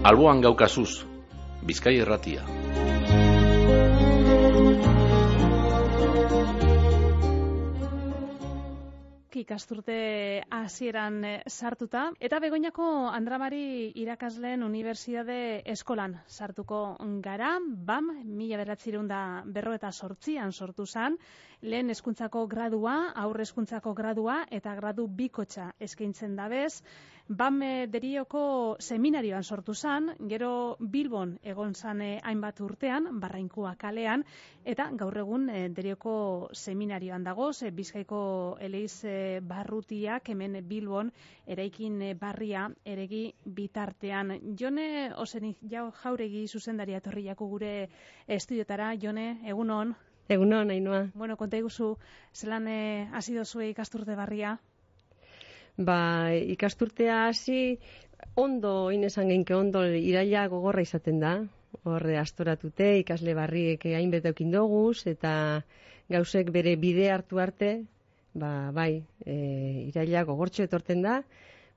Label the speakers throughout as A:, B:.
A: Alboan gaukazuz, Bizkai Irratia.
B: Ikasturte hasieran sartuta eta Begoñako Andramari irakasleen unibertsitate eskolan sartuko gara. BAM 1958an sortu zen, lehen hezkuntzako gradua, aurre hezkuntzako gradua eta gradu bikotxa eskaintzen dabez. BAM Derioko seminarioan sortu zen, gero Bilbon egon zen hainbat urtean, Barrainkua kalean, eta gaur egun Derioko seminarioan dagoz, Bizkaiko Eleiz barrutiak hemen Bilbon eraikin barria eregi bitartean. Jone Osenik Jauregi zuzendaria etorri jako gure estudiotara. Jone, egunon.
C: Egunon, Ainhoa.
B: Bueno, konta iguzu, zelan hasi dozue ikasturte barria?
C: Ikasturtea hasi ondo, inesan genke ondo, iraila gogorra izaten da. Horre astoratute, ikasle barriek hainbete eukin doguz, eta gauzek bere bide hartu arte, iraila gogortxo etorten da,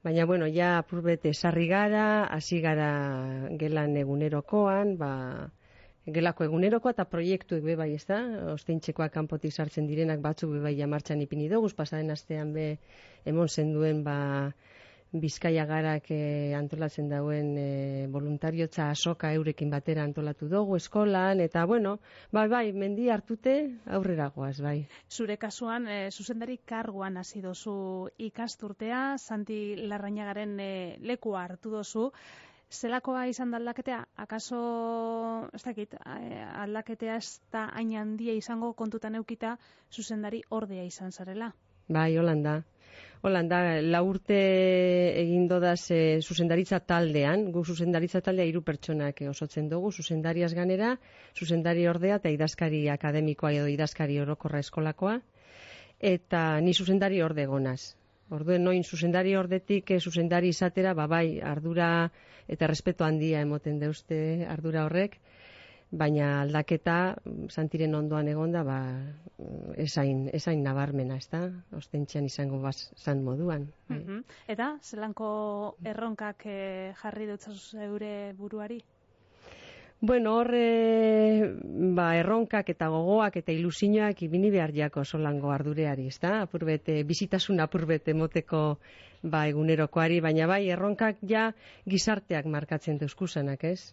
C: baina, bueno, ja apurbete sarri gara, hasi gara gelan egunerokoan, gelako egunerokoa eta proiektuek bai, ez da? Osteintxekoak kanpotik sartzen direnak batzuk bai martxan ipini doguz, pasaren astean emon zenduen Bizkaia garak antolatzen dauen voluntariotza asoka eurekin batera antolatu dugu eskolan, eta bueno, mendi hartute aurrera goaz, bai.
B: Zure kasuan, zuzendari karguan hasi dozu ikasturtea, Santi Larrañagaren lekua hartu dozu. Zelakoa izan da aldaketea? Akaso, ez dakit, aldaketea ez da hain handia izango kontutan eukita zuzendari ordea izan zarela?
C: Bai, Holanda, 4 urte egin dodaz zuzendaritza taldean, gu zuzendaritza taldea 3 pertsonak osotzen dugu, zuzendariaz ganera, zuzendari ordea eta idazkari akademikoa edo idazkari orokorra eskolakoa, eta ni zuzendari orde gonaz. Orduen noin zuzendari ordetik zuzendari izatera, ardura eta respeto handia emoten deuzte ardura horrek, baina aldaketa Santiren ondoan egonda esain nabarmena, ez da? Ostentxean izango zan moduan.
B: Eta, zelanko erronkak jarri dutzazu zeure buruari?
C: Bueno, horre, erronkak eta gogoak eta ilusioak ibini behar jako solango ardureari, ez da? Bizitasun apurbete moteko egunerokoari, baina erronkak ja gizarteak markatzen deuskusanak, ez?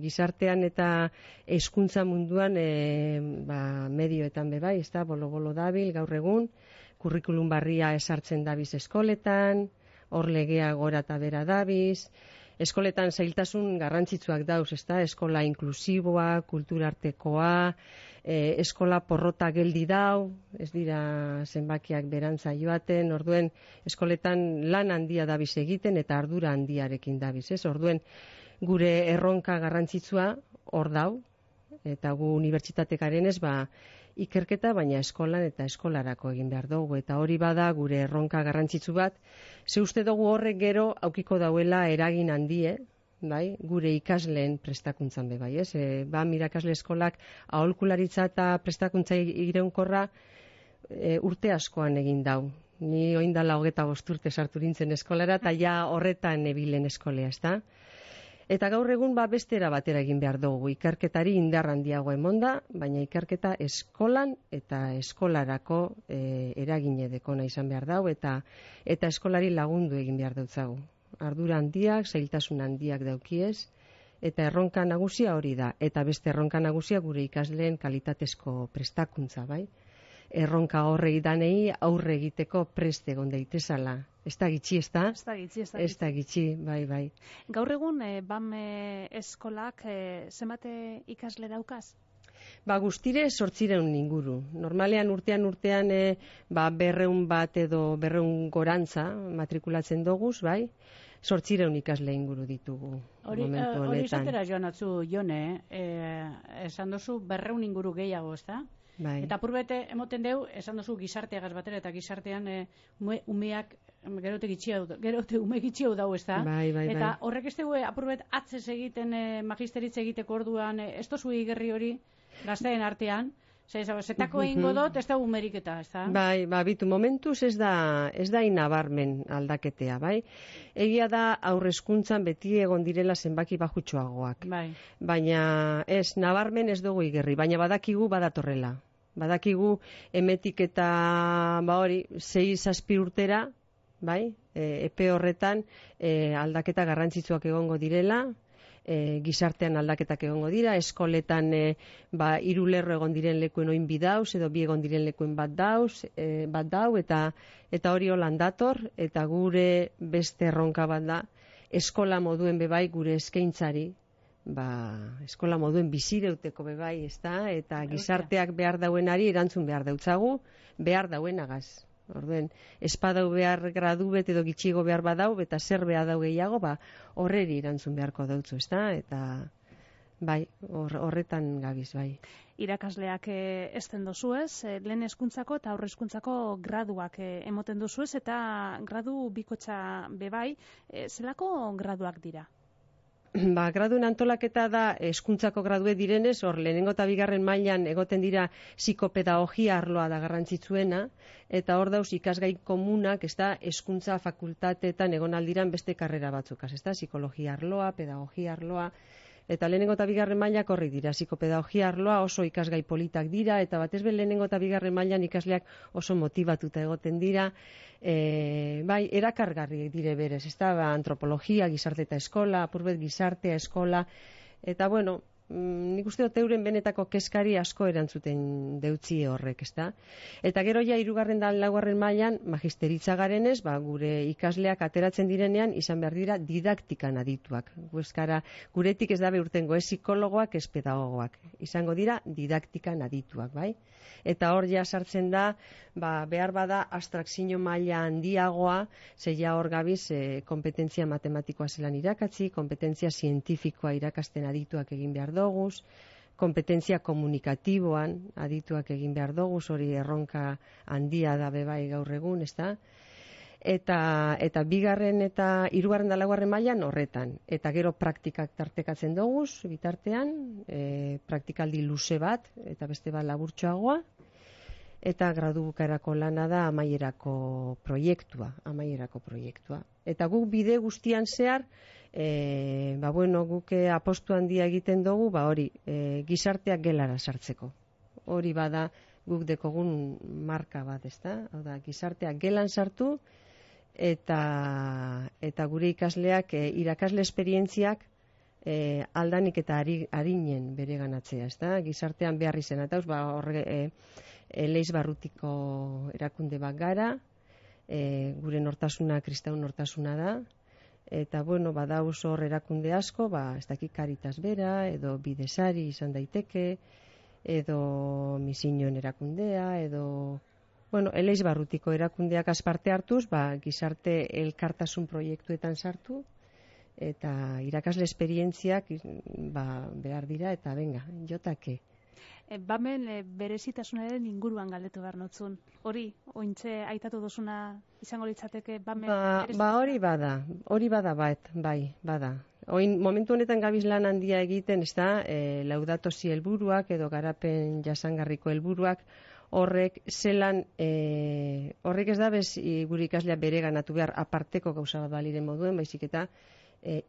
C: Gizartean eta hezkuntza munduan medioetan bai, ez da? Bolo dabil, gaur egun, kurrikulum barria esartzen dabiz eskoletan, hor legea gora eta bera dabiz, eskoletan zailtasun garrantzitsuak dauz, ez da? Eskola inklusiboa, kulturartekoa, eskola porrota geldi dau, ez dira zenbakiak berantza joaten, orduen eskoletan lan handia dabiz egiten eta ardura handiarekin dabiz, ez? Orduen gure erronka garrantzitsua hor dau, eta gu unibertsitatekaren ez ikerketa, baina eskolan eta eskolarako egin behar dugu, eta hori bada gure erronka garrantzitsu bat, ze uste dugu horrek gero aukiko dauela eragin handie, gure ikasleen prestakuntzan bai, ez? Irakasle eskolak aholkularitza eta prestakuntza iraunkorra urte askoan egin dau. Ni oindala 25 urte sartu nintzen eskolara, eta ja horretan ebilen eskolea, ez da? Eta gaur egun bestera batera egin behar dugu, ikerketari indar handiago emonda, baina ikerketa eskolan eta eskolarako eragine dekona izan behar dau, eta eskolari lagundu egin behar dutzagu. Ardura handiak, zailtasun handiak daukiez, eta erronka nagusia hori da, eta beste erronka nagusia gure ikasleen kalitatezko prestakuntza, bai? Erronka horrei danei aurre egiteko prest egon daitezala. Ez da gitxi, ez da? Ez da gitxi, bai.
B: Gaur egun, BAM eskolak zenbate ikasle daukaz?
C: Guztire 800 inguru. Normalean urtean 200 bat edo 200 gorantza matrikulatzen doguz, bai? 800 ikasle inguru ditugu.
D: Hori izatera joan atzu, Jone, esan dozu 200 inguru gehiago, ez da?
C: Bai.
D: Eta apurbete emoten deu, esan dozu gizarteagaz batera, eta gizartean umeak gerote ume gitxiau dau, ez da?
C: Bai.
D: Eta horrek ez dugu apurbet atzez egiten magisteritza egiteko orduan, ez dozu igerri hori gazteen artean, Zetako egingo dut, ez da umerik eta, ez da?
C: Bai, bitu, momentuz ez da inabarmen aldaketea, bai? Egia da aurrezkuntzan beti egon direla zenbaki bajutxoagoak.
D: Bai.
C: Baina ez, nabarmen ez dugu igerri, baina badakigu badatorrela. Badakigu emetik eta, 6-7 urtera, bai? Epe horretan aldaketa garrantzitsuak egongo direla, gizartean aldaketak egongo dira, eskoletan 3 lerro egon diren lekuen oin 2 dauz, edo 2 egon diren lekuen bat dau, eta hori holan dator, eta gure beste erronka bat da, eskola moduen bebai gure eskaintzari, eskola moduen bizireuteko bebai, ez da, eta gizarteak behar dauenari erantzun behar dautzagu, behar dauenagaz. Orduen, espadau behar gradu bet edo gitxigo behar badau, eta zer behar dau gehiago, horreri erantzun beharko dautzu, ez da? Eta, horretan gabiz, bai.
B: Irakasleak ezten dozuez, lehen hezkuntzako eta aurre hezkuntzako graduak emoten dozuez, eta gradu bikotxa bebai, zelako graduak dira?
C: Graduen antolaketa da hezkuntzako gradue direnez, hor lehenengo eta bigarren mailan egoten dira psikopedagogia arloa da garrantzitsuena, eta hor dauz ikasgai komunak, ez da, hezkuntza fakultateetan egon aldiran beste karrera batzukaz, ez da, psikologia arloa, pedagogia arloa, eta lehenengo eta bigarren mailak horri dira, psikopedagogia arloa oso ikasgai politak dira, eta batez be lehenengo eta bigarren mailan ikasleak oso motibatuta egoten dira, erakargarri dire berez, ez da, antropologia, gizarte eta eskola, apurbet gizartea, eskola, eta bueno, nik uste dut euren benetako kezkari asko erantzuten deutzi horrek, ez da? Eta gero ja 3. da 4. mailan magisteritza garenez, gure ikasleak ateratzen direnean izan behar dira didaktikan adituak. Guretik ez dabe urtengo, ez psikologoak, ez pedagogoak. Izango dira didaktikan adituak, bai? Eta hor ja sartzen da, behar bada abstrakzio maila handiagoa, zeia hor gabiz kompetentzia matematikoa zelan irakatzi, kompetentzia zientifikoa irakasten adituak egin behar doguz, kompetentzia komunikatiboan adituak egin behar doguz, hori erronka handia da bebai gaur egun, ez da? Eta 2. eta 3. da 4. mailan horretan. Eta gero praktikak tartekatzen doguz, bitartean, praktikaldi luze bat, eta beste bat laburtxoagoa, eta gradu bukaerako lana da amaierako proiektua. Eta guk bide guztian zehar, guk apostu handia egiten dugu, hori, gizarteak gelara sartzeko. Hori bada guk dekogun marka bat, ez da? Hau da, gizarteak gelan sartu, eta gure ikasleak irakasle esperientziak aldanik eta harinen bere ganatzea, ez da? Gizartean behar izena, eta Leiz Barrutiko erakunde bat gara, gure nortasuna kristau nortasuna da, eta badauz hor erakunde asko, ez dakik Karitas bera, edo Bidesari izan daiteke, edo Misioen erakundea, edo Leiz Barrutiko erakundeak parte hartuz, gizarte elkartasun proiektuetan sartu, eta irakasle esperientziak behar dira, eta jotake.
B: Bamen berezitasunaren inguruan galdetu behar notzun. Hori, ointze aitatu duzuna izango litzateke bamen berezitasunea?
C: Hori bada, bada. Oin, momentu honetan gabiz lan handia egiten, ez da, Laudato Si helburuak edo garapen jasangarriko helburuak, horrek zelan, horrek ez da bez gure ikaslea bere ganatu behar aparteko gauza bat baliren moduen, baizik eta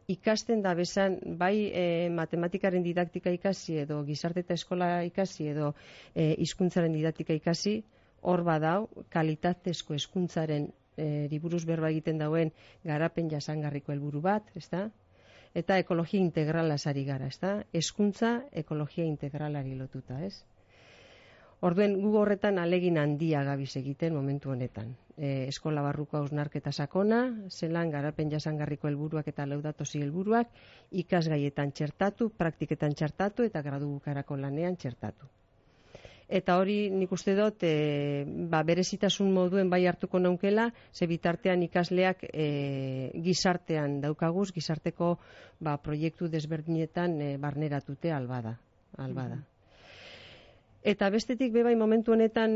C: ikasten da bezan, bai matematikaren didaktika ikasi edo gizarte eta eskola ikasi edo hizkuntzaren didaktika ikasi, hor badau kalitatezko hezkuntzaren buruz berba egiten dauen garapen jasangarriko helburu bat, ezta? Eta ekologia integrala sari gara, ezta? Hezkuntza ekologia integralari lotuta, ez? Orduen gu horretan alegin handia gabiz egiten momentu honetan. Eskola barruko hausnarketa sakona, zelan garapen jasangarriko helburuak eta Laudato Si helburuak ikasgaietan txertatu, praktiketan txertatu eta gradu bukarako lanean txertatu. Eta hori nik uste dut berezitasun moduen bai hartuko naukela, ze bitartean ikasleak gizartean daukaguz, gizarteko proiektu desberdinetan barneratute albada. Eta bestetik bebai momentu honetan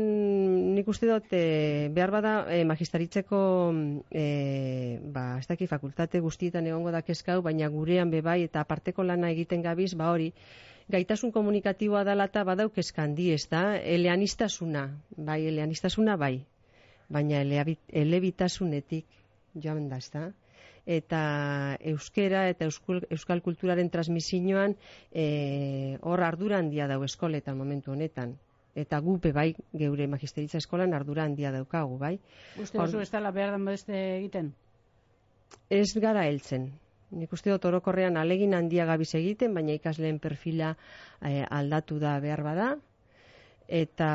C: nik uste dut behar bada magistaritzeko ez daki fakultate guztietan egongo da kezkau, baina gurean bebai eta aparteko lana egiten gabiz, hori gaitasun komunikatiboa dela eta badauk eskandi, ez da, eleaniztasuna, bai, baina elebitasunetik joan da, ez da. Eta euskera eta euskal kulturaren transmisioan hor ardura handia dau eskoletan momentu honetan. Eta gupe bai, geure magisteritza eskolan ardura handia daukagu, bai.
D: Uste duzu ez dela behar den beste egiten?
C: Ez gara heltzen. Nik uste dut orokorrean alegin handia gabiz egiten, baina ikasleen perfila aldatu da behar bada. Eta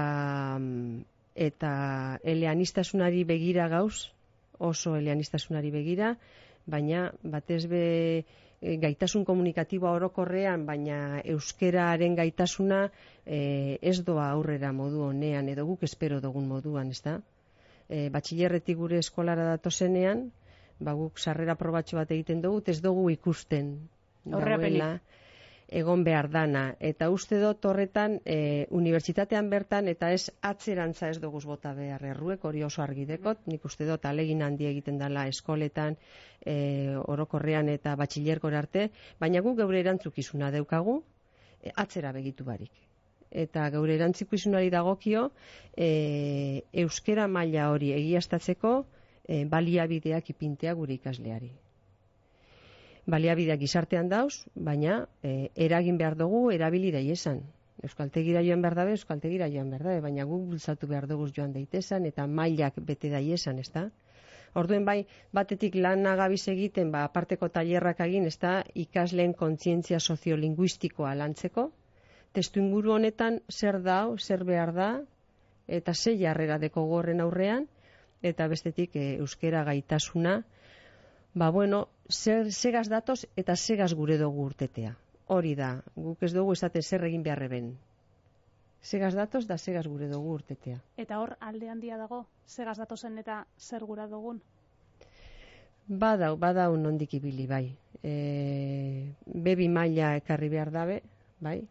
C: eleanistasunari begira gauz, oso eleanistasunari begira, baina batez be gaitasun komunikatiboa orokorrean, baina euskeraren gaitasuna ez doa aurrera modu honean, edo guk espero dugun moduan, ez da? Batxillerretik gure eskolara datozenean, guk sarrera probatxo bat egiten dugu, ez dugu ikusten dagoela egon behar dana. Eta uste dut horretan, unibertsitatean bertan, eta ez atzerantza ez dugu bota behar erruek, hori oso argidekot, nik uste dut alegin handi egiten dela eskoletan, orokorrean eta batxillerkora arte, baina guk geure erantzukizuna daukagu, atzera begitu barik. Eta geure erantzukizunari dagokio, euskera maila hori egiaztatzeko, baliabideak ipintea gure ikasleari. Baliabideak gizartean dauz, baina eragin behar dugu erabili daiesan. Euskaltegira joan behar dabe, euskaltegira joan behar dabe, baina guk bultzatu behar dugu joan daitesan eta mailak bete daiesan, ez da? Orduen bai, batetik lan agabiz egiten, aparteko tailerrak egin, ez da, ikasleen kontzientzia soziolinguistikoa lantzeko, testu inguru honetan zer dau, zer behar da, eta ze jarrera deko gorren aurrean, eta bestetik euskera gaitasuna, segaz datoz eta segaz gure dugu urtetea. Hori da, guk ez dugu esaten zer egin beharreben. Segaz datoz da segaz gure dugu urtetea.
B: Eta hor alde handia dago, segaz datozen eta zer gura dugun?
C: Badau nondik ibili, bai. Bebi maila ekarri behar dabe, bai.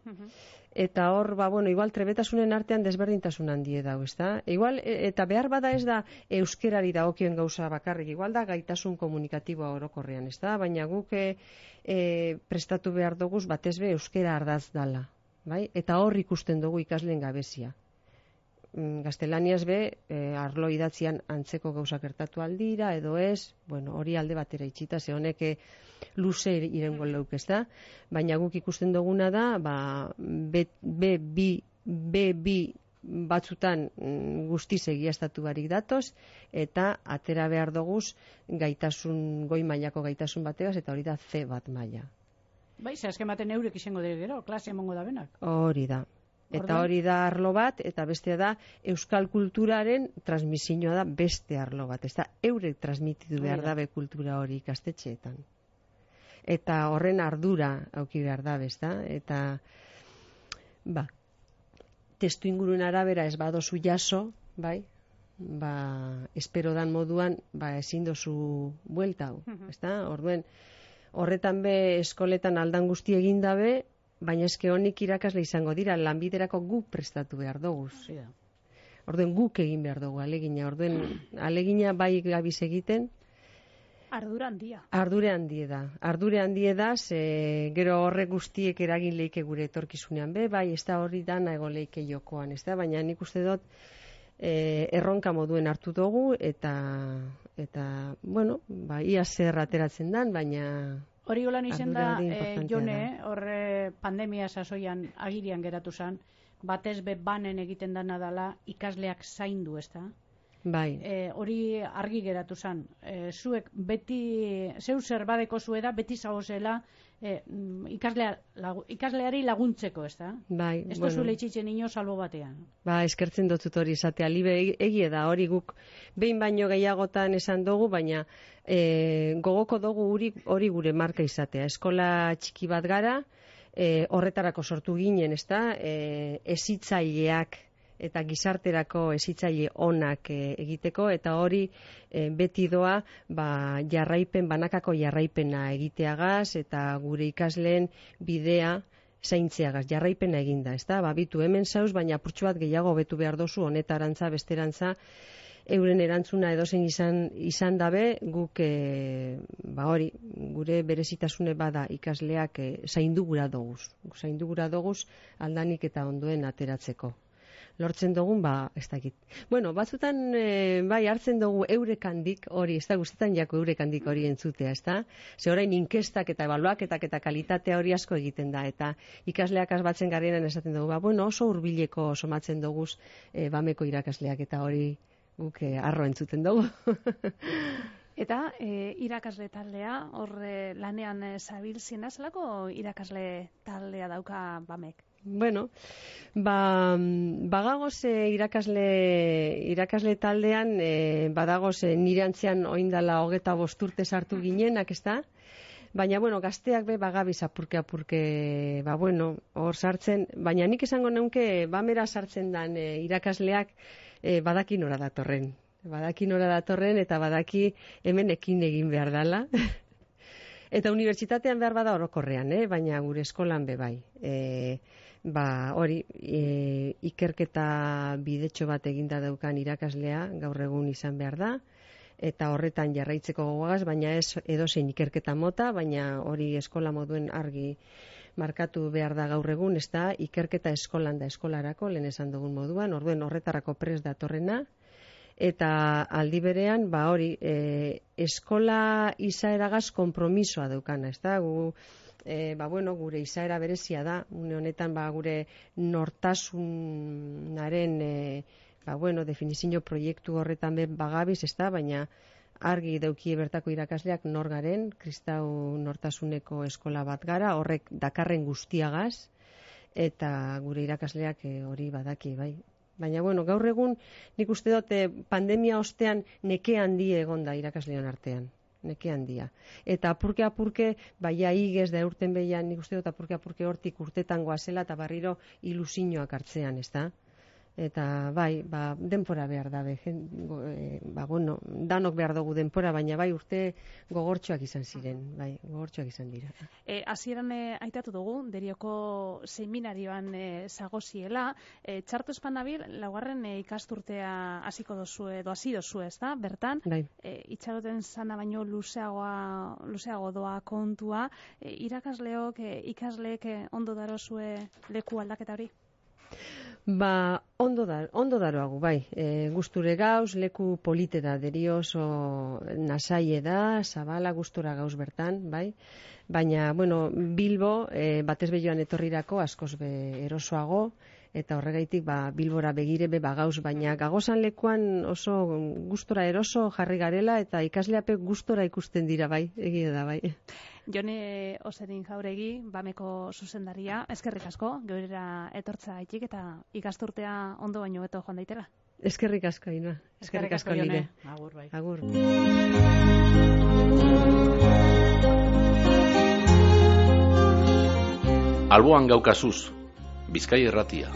C: Eta hor, igual trebetasunen artean desberdintasun handie dau, ez da? Igual, eta behar bada ez da euskerari dagokien gauza bakarrik, igual da gaitasun komunikatiboa orokorrean, ez da? Baina guk prestatu behar duguz batez be euskera ardaz dala, bai? Eta hor ikusten dugu ikasleen gabezia. Gaztelaniaz be, arlo idatzian antzeko gauzak gertatu aldira, edo ez, hori alde batera itxita, ze honek luze irengo leuk, ez da? Baina guk ikusten duguna da, B2 batzutan guztiz egiaztatu barik datoz, eta atera behar duguz gaitasun, goi mailako gaitasun bategaz, eta hori da C bat maila.
D: Bai, ze azken baten eurek izango dira gero, klase emongo da benak.
C: Hori da. Eta hori da arlo bat, eta bestea da euskal kulturaren transmisioa da beste arlo bat. Ez da, eurek transmititu behar dabe kultura hori ikastetxeetan. Eta horren ardura auki behar dabe, ez da? Eta, testu inguruen arabera ez badozu jaso, bai? Espero dan moduan, ezin dozu buelta hau, ez da? Horretan be eskoletan aldan guzti egin dabe, baina eske honik irakasle izango dira, lanbiderako guk prestatu behar dugu. Orduen guk egin behar dugu alegina. Orduen alegina bai gabiz egiten.
B: Ardura handia. Ardure handie da, gero horrek guztiek eragin leike gure etorkizunean be, bai, ez da hori dana ego leike jokoan, ez da, baina nik uste dut erronka moduen hartu dugu, eta ia zer ateratzen dan, baina...
D: Hori golan izen da, Jone, horre pandemia sasoian agirian geratu zen, batez be banen egiten dana dela ikasleak zaindu, ez da?
C: Bai.
D: Hori argi geratu zen. Zuek beti, zeu zer badeko zueda, beti zagozela ikasleari laguntzeko, ez da?
C: Bai.
D: Ez da zuela itxitzen ino salbo batean.
C: Eskertzen dut hori izatea, libe egie da, hori guk behin baino gehiagotan esan dugu, baina gogoko dugu hori gure marka izatea. Eskola txiki bat gara, horretarako sortu ginen, ez da? Hezitzaileak eta gizarterako hezitzaile onak egiteko, eta hori beti doa banakako jarraipena egiteagaz, eta gure ikasleen bidea zaintzeagaz, jarraipena eginda, ez da? Bitu hemen zauz, baina apurtxo bat gehiago betu behar dozu, honetarantza, besterantza, euren erantzuna edozein izan dabe, guk hori, gure berezitasune bada ikasleak zaindugura doguz aldanik eta ondoen ateratzeko. Lortzen dugun, ez dakit. Bueno, batzutan, hartzen dugu eurekandik hori, ez da guztetan jako eurekandik hori entzutea, ez da? Ze orain inkestak eta ebaluaketak eta kalitatea hori asko egiten da, eta ikasleak asbatzen garrienan esaten dugu, oso hurbileko somatzen dugu bameko irakasleak eta hori guk arro entzuten dugu.
B: Eta irakasle taldea, horre lanean zabiltzen zelako irakasle taldea dauka bamek?
C: Bueno, bagagoz irakasle taldean, badagoz nire antzean oindala 25 urte sartu ginenak, ez da? Baina, gazteak bagabiz apurke, hor sartzen, baina nik esango neunke, bamera sartzen dan irakasleak badaki nora datorren. Badaki nora datorren eta badaki hemen ekin egin behar dala. Eta unibertsitatean behar bada orokorrean, baina gure eskolan bai. Hori, ikerketa bidetxo bat eginda daukan irakaslea gaur egun izan behar da, eta horretan jarraitzeko gogoaz, baina ez edozein ikerketa mota, baina hori eskola moduen argi markatu behar da gaur egun, ez da ikerketa eskolan da eskolarako, lehen esan dugun moduan, orduen horretarako prest datorrena, eta aldi berean, hori, eskola izaeragaz konpromisoa daukana, ez da, gure izaera berezia da, une honetan gure nortasunaren definizio proiektu horretan bagabiz, ez da, baina argi daukie bertako irakasleak nor garen, kristau nortasuneko eskola bat gara, horrek dakarren guztiagaz, eta gure irakasleak hori badaki, bai. Baina, gaur egun nik uste dut pandemia ostean neke handi egonda irakasleon artean. Neke handia. Eta apurke, baina igez da urten behian, nik uste dut apurke hortik urtetan goazela eta barriro ilusioak hartzean, ez da? Eta denpora behar da, danok behar dugu denpora, baina urte gogortxoak izan ziren, gogortxoak izan dira.
B: Hasieran aitatu dugu, Derioko seminarioan zagoziela, txartu espanabil, laugarren ikasturtea hasiko dozu edo hasi dozu, ez da, bertan, itxaroten zana baino luzeago doa kontua, irakasleok, ikasleek ondo darozue leku aldaketa hori?
C: Ondo daroagu, gusture gauz, leku polite da, Derio oso nasaie da, zabala gustura gauz bertan, baina, Bilbo, batez behioan etorrirako, askoz erosoago, eta horregaitik Bilbora begire gauz, baina gagozan lekuan oso gustora eroso jarri garela, eta ikasleape gustora ikusten dira, egia da,
B: Jone Oserin Jauregi, bameko zuzendaria, eskerrik asko, geurera etortza haitik eta ikasturtea ondo baino beto joan daitela.
C: Eskerrik asko, Ina. Eskerrik asko, Jone.
D: Agur, bai.
C: Agur.
A: Alboan gaukazuz, Bizkai Irratia.